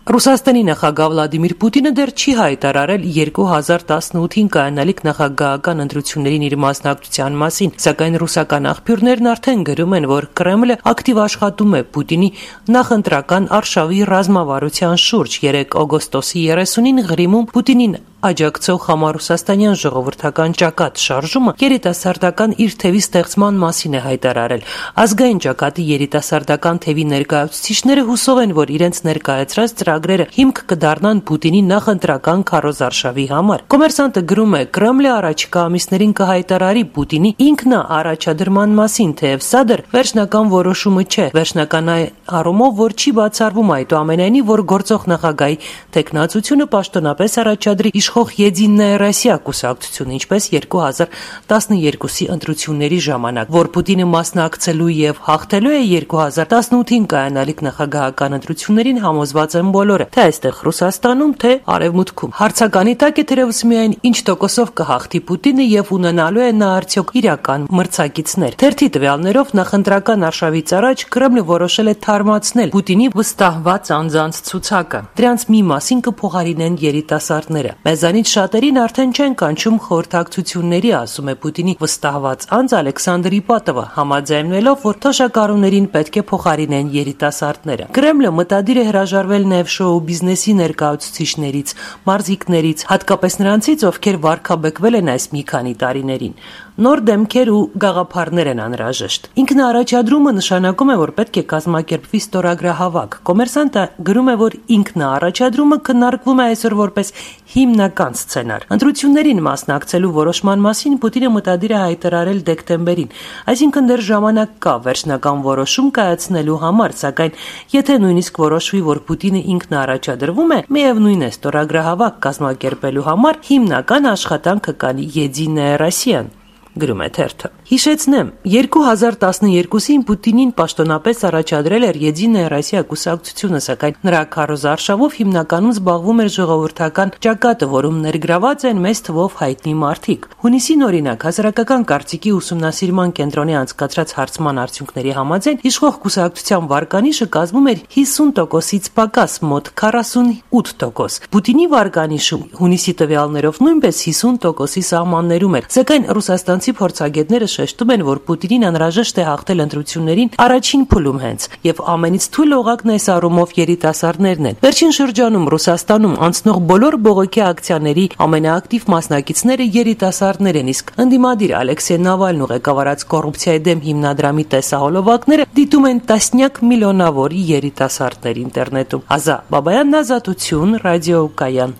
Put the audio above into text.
Ռուսաստանի նախագահ Վլադիմիր Պուտինը դեռ չի հայտարարել 2018-ին կայանալիք նախագահական ընտրություններին իր մասնակցության մասին, սակայն ռուսական աղբյուրներն արդեն գրում են, որ Կրեմլը ակտիվ աշխատում է Պուտինի նախընտրական արշավի ռազմավարության շուրջ։ 3 օգոստոսի 30-ին Ղրիմում Պուտինին աջակցող համառուսաստանյան ժողովրդական ճակատ շարժումը երիտասարդական իր թևի ստեղծման մասին է հայտարարել։ Ազգային ճակատի երիտասարդական թևի ներկայացուցիչները հուսով են, որ իրենց ներկայացրած ծրագրերը հիմք կդառնան Պուտինի նախընտրական քարոզարշավի համար։ Կոմերսանտը գրում է. Կրեմլը առաջիկա ամիսներին կհայտարարի Պուտինի ինքնաառաջադրման մասին, թեև սա դեռ վերջնական որոշումը չէ։ Վերջնական առումով, որ չի բացառվում այդուամենայնիվ, որ գործող նախագահի տեխնացությունը պաշտոնապես առաջադրի իշխող Եդիննայա Ռոսիա կուսակցությունը, ինչպես 2012-ի ընտրությունների ժամանակ, որ Պուտինը մասնակցելու եւ հաղթելու է 2018-ին կայանալիք նախագահական ընտրություններին համոզված են բոլորը, թե այստեղ Ռուսաստանում, թե Արևմուտքում։ Հարցականի տակ է թերևս միայն ինչ տոկոսով կհաղթի Պուտինը եւ ունենալու է նա արդյոք իրական մրցակիցներ։ Թերթի տվյալներով նախընտրական արշավից առաջ Կրեմլը որոշել է թարմացնել Պուտինի վստահված անձանց ցուցակը։ Դրանց մի մասին կփոխարինեն երիտասարդները։ Մեզանից շատերին արդեն չեն կանչում խորհրդակցությունների, ասում է Պուտինի վստահված անձ Ալեքսանդր Իպատովը, համաձայնվելով, որ թոշակառուներին պետք է փոխարինեն երիտասարդները։ Կրեմլը մտադիր է հրաժարվել նաև շոու բիզնեսի ներկայացուցիչներից, մարզիկներից, հատկապես նրանցից, ովքեր վարքաբեկվել են այս մի քանի տարիներին։ Նոր դեմքեր ու գաղափարներ են անհրաժեշտ։ Ինքնաառաջադրումը նշանակում է, որ պետք է կազմակերպվի ստորագրահավաք։ Կոմերսանտը գրում է, որ ինքնաառաջադրումը քննարկվում է այսօր որպես հիմնական սցենար։ Ընտրություններին մասնակցելու որոշման մասին Պուտինը մտադիր է հայտարարել դեկտեմբերին, այսինքն դեռ ժամանակ կա վերջնական որոշում կայացնելու համար, սակայն եթե նույնիսկ որոշվի, որ Պուտինը ինքնաառաջադրվում է, միևնույն է ստորագրահավաք կազմակերպելու համար հիմնական աշխատանքը կանի Եդիննայա Ռոսիան, գրում է թերթը։ Հիշեցնեմ, 2012-ին Պուտինին պաշտոնապես առաջադրել էր Եդիննայա Ռոսիա կուսակցությունը, սակայն նրա քարոզարշավով հիմնականում զբաղվում էր ժողովրդական ճակատը, որում ներգրաված են մեծ թվով հայտնի մարդիկ։ Հունիսին օրինակ հասարակական կարծիքի ուսումնասիրման կենտրոնի անցկացրած հարցման արդյունքների համաձայն իշխող կուսակցության վարկանիշը կազմում էր 50%-ից պակաս, մոտ 48%։ Պուտինի վարկանիշը հունիսի տվյալներով նույնպես 50%-ի սահմաններում էր, սակայն ռուսաստանցի փորձագետները շեշտում են, որ Պուտինին անհրաժեշտ է հաղթել ընտրություններին առաջին փուլում հենց, եւ ամենից թույլ օղակն այս առումով երիտասարդներն են։ Վերջին շրջանում Ռուսաստանում անցնող բոլոր բողոքի ակցիաների ամենաակտիվ մասնակիցները երիտասարդներ են, իսկ ընդդիմադիր Ալեքսեյ Նավալնու ղեկավարած կոռուպցիայի դեմ հիմնադրամի տեսահոլովակները դիտում են տասնյակ միլիոնավոր երիտասարդներ ինտերնետում։ Ազա Բաբայանն, Ազատություն, Ռադիո Կայան։